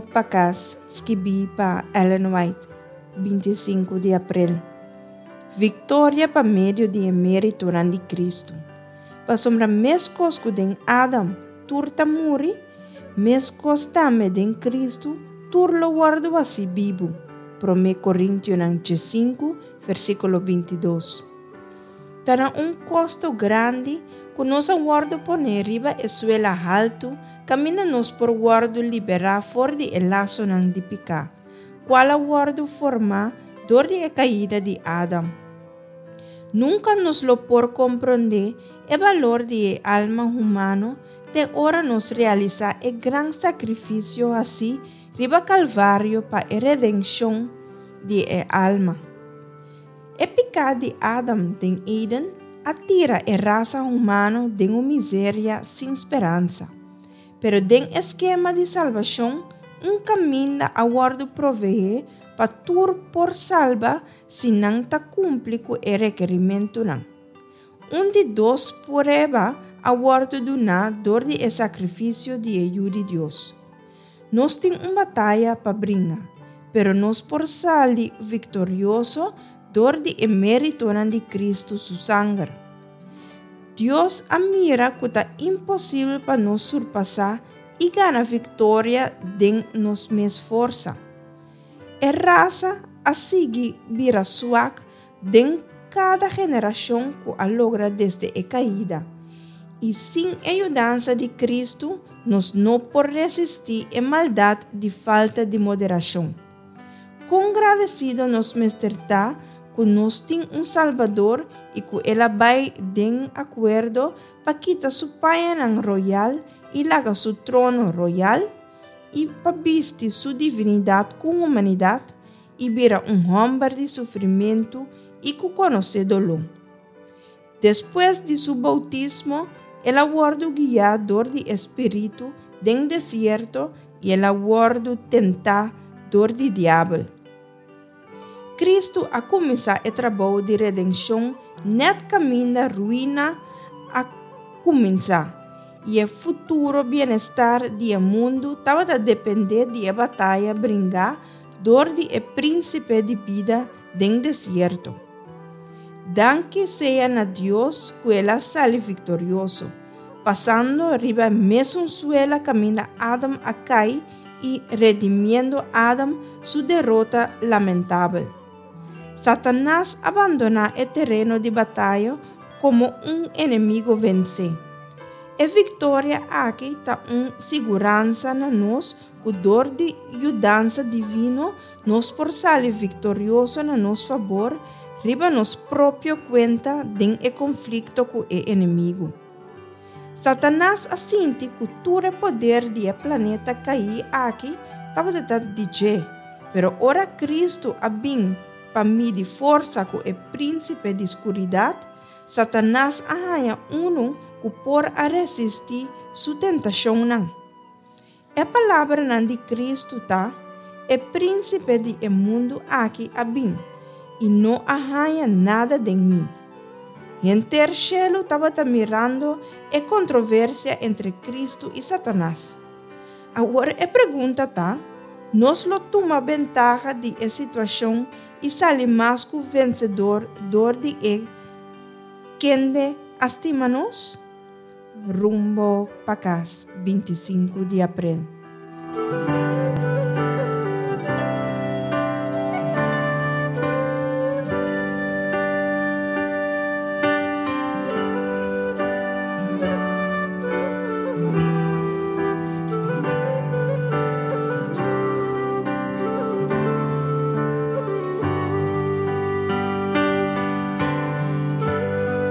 Rumbo pa Kas, skibí pa Ellen White, 25 di aprel. Viktoria pa medio di e méritonan di Kristu. Pasobra meskos ku den Adam tur ta muri, meskos tambe den Kristu tur lo wòrdu hasí bibu, Promé Korintionan 15, versíkulo 22. Ta na un kosto grandi ku nos a wòrdu poné riba e suela haltu kaminda nos por wòrdu liberá for di e lasonan di piká, kual a wòrdu formá dor di e kaida di Adam. Nunka nos lo por komprondé e balor di e alma humano te ora nos realisá e gran sakrifisio hasí riba Kalvario pa e redenshon di e alma. E piká di Adam den Eden a tira e rasa humano den un miseria sin speransa. Pero den e skema di salbashon, un kaminda a wòrdu proveé pa tur por salba si nan ta kumpli ku e rekerimentunan. Un di dos prueba a wòrdu duná dor di e sakrifisio di e Yu di Dios. Nos tin un bataya pa bringa, pero nos por sali viktorioso dor di e méritonan di Kristu su sanger. Dios a mira ku ta imposibel pa nos surpasá i gana viktoria den nos mes forsa. E rasa a sigui bira suak den kada generashon ku a logra desde e kaida, i sin e yudansa di Kristu nos no por resistí e maldat di falta di moderashon. Kon gradesido nos mester ta ku nos tin un Salbador i ku el a bai den akuerdo pa kita su pañanan royal i laga su trono royal i pa bisti su divinidat ku humanidat i bira un hòmber di sufrimentu i ku konosé doló. Despues di su boutismo, el a wòrdu guiá dor di e spiritu den desierto i el a wòrdu tentá dor di Diabel. Kristu a kuminsá e trabou di redenshon nèt kaminda ruina a kuminsá, i e futuro bienestar di e mundu tabata dependé di e bataya bringá dor di e Prínsipe di bida den desierto. Danki sea na Dios ku el a sali viktorioso, pasando riba e mesun suela kaminda Adam a kai i redimiendo Adam su derota lamentabel. Satanas a bandoná e tereno di bataya komo un enemigo vensé. E viktoria aki ta un siguransa na nos ku dor di yudansa divino nos por sali viktorioso na nos fabor riba nos propio kuenta den e konflikto ku e enemigu. Satanas a sinti ku tur e poder di e planeta kaí aki tabata ta di dje, pero ora Kristu a bin pa midi forsa ku e prínsipe di skuridat, Satanas a haña unu ku por a resistí su tentashonnan. E palabranan di Kristu ta, E prínsipe di e mundu aki a bin, i no a haña nada den mi. Henter shelu tabata mirando e kontroversia entre Kristu i Satanas. Awor e pregunta ta, Nos lo tuma bentaha di e situashon i sali mas ku vensedor dor di e kende a stima nos? Rumbo pa kas 25 di aprel.